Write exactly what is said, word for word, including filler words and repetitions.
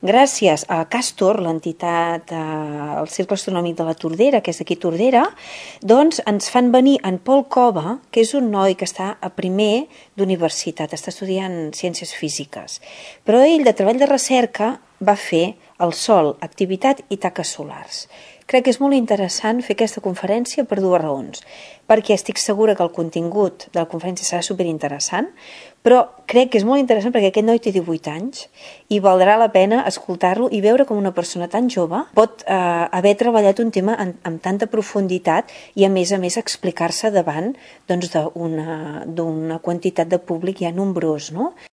gràcies a Castor, l'entitat, eh, el Cercle Astronòmic de la Tordera, que és d'aquí Tordera, doncs ens fan venir en Pol Cova, que és un noi que està a primer d'universitat, està estudiant ciències físiques, però ell de treball de recerca va fer el Sol, activitat i taques solars. Crec que és molt interessant fer aquesta conferència per dues raons. Perquè estic segura que el contingut de la conferència serà superinteressant, però crec que és molt interessant perquè aquest noi té divuit anys i valdrà la pena escoltar-lo i veure com una persona tan jove pot eh, haver treballat un tema en, amb tanta profunditat i a més a més explicar-se davant doncs, d'una, d'una quantitat de públic ja nombrós, no?